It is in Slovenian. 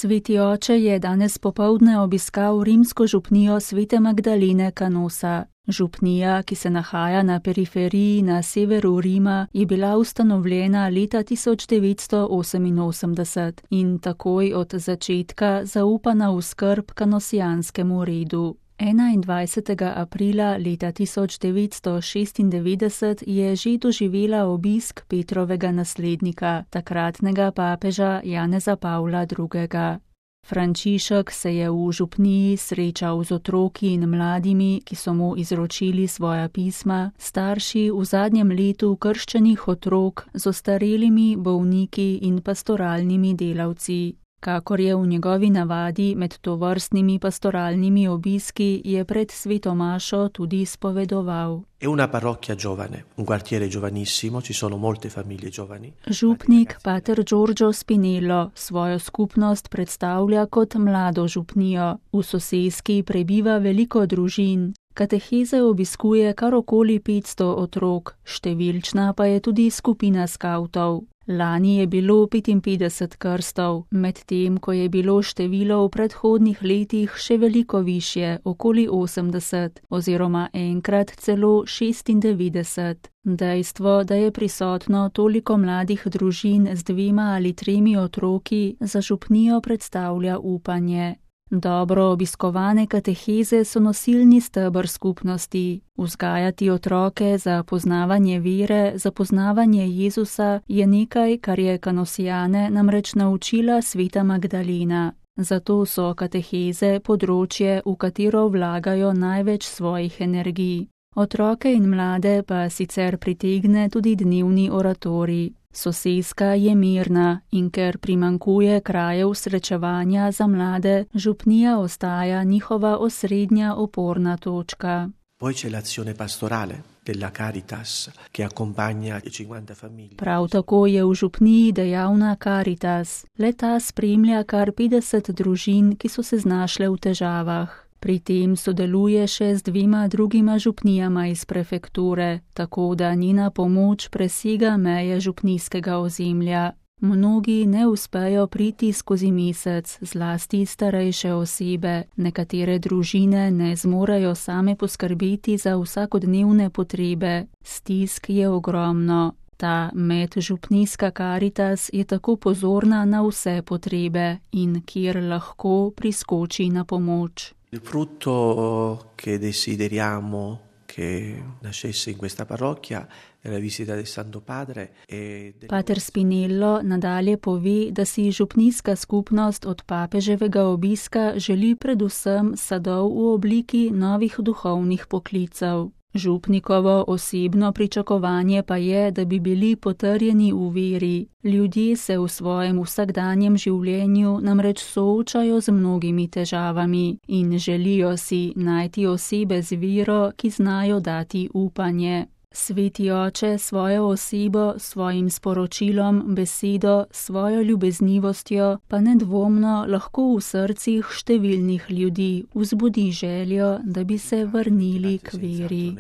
Sveti oče je danes popoldne obiskal rimsko župnijo Svete Magdalene Canosa. Župnija, ki se nahaja na periferiji na severu Rima, je bila ustanovljena leta 1988 in takoj od začetka zaupana v skrb kanosijanskemu redu. 21. aprila leta 1996 je že doživela obisk Petrovega naslednika, takratnega papeža Janeza Pavla II. Frančišek se je v župniji srečal z otroki in mladimi, ki so mu izročili svoja pisma, starši v zadnjem letu krščenih otrok z ostarelimi bolniki in pastoralnimi delavci. Kakor je v njegovi navadi med tovrstnimi pastoralnimi obiski, je pred sveto mašo tudi spovedoval. È una parrocchia giovane, un quartiere giovanissimo, ci sono molte famiglie giovani. Župnik pater Giorgio Spinello svojo skupnost predstavlja kot mlado župnijo. V soseski prebiva veliko družin. Kateheze obiskuje kar okoli 500 otrok, številčna pa je tudi skupina skavtov. Lani je bilo 55 krstov, medtem ko je bilo število v predhodnih letih še veliko višje, okoli 80, oziroma enkrat celo 96. Dejstvo, da je prisotno toliko mladih družin z 2 ali 3 otroki, za župnijo predstavlja upanje. Dobro obiskovane kateheze so nosilni steber skupnosti. Vzgajati otroke za poznavanje vere, za poznavanje Jezusa je nekaj, kar je kanosijane namreč naučila Sveta Magdalena. Zato so kateheze področje, v katero vlagajo največ svojih energij. Otroke in mlade pa sicer pritegne tudi dnevni oratorij. Soseska je mirna in ker primanjkuje krajev srečevanja za mlade, župnija ostaja njihova osrednja oporna točka. Poi c'è l'azione pastorale della Caritas che accompagna 50 famiglie. Prav tako je v župniji dejavna Caritas. Le-ta spremlja kar 50 družin, ki so se znašle v težavah. Pri tem sodeluje še z 2 drugima župnijama iz prefekture, tako da njena pomoč presega meje župnijskega ozemlja. Mnogi ne uspejo priti skozi mesec, zlasti starejše osebe. Nekatere družine ne zmorejo same poskrbeti za vsakodnevne potrebe. Stisk je ogromno. Ta medžupnijska Caritas je tako pozorna na vse potrebe in kjer lahko priskoči na pomoč. Il frutto che desideriamo che nascesse in questa parrocchia è la visita del Santo Padre. Pater Spinello nadalje pove, da si župnijska skupnost od papeževega obiska želi predvsem sadov v obliki novih duhovnih poklicev. Župnikovo osebno pričakovanje pa je, da bi bili potrjeni v veri. Ljudje se v svojem vsakdanjem življenju namreč soočajo z mnogimi težavami in želijo si najti osebe z vero, ki znajo dati upanje. Sveti oče svojo osebo, svojim sporočilom, besedo, svojo ljubeznivostjo pa nedvomno lahko v srcih številnih ljudi vzbudi željo, da bi se vrnili k veri.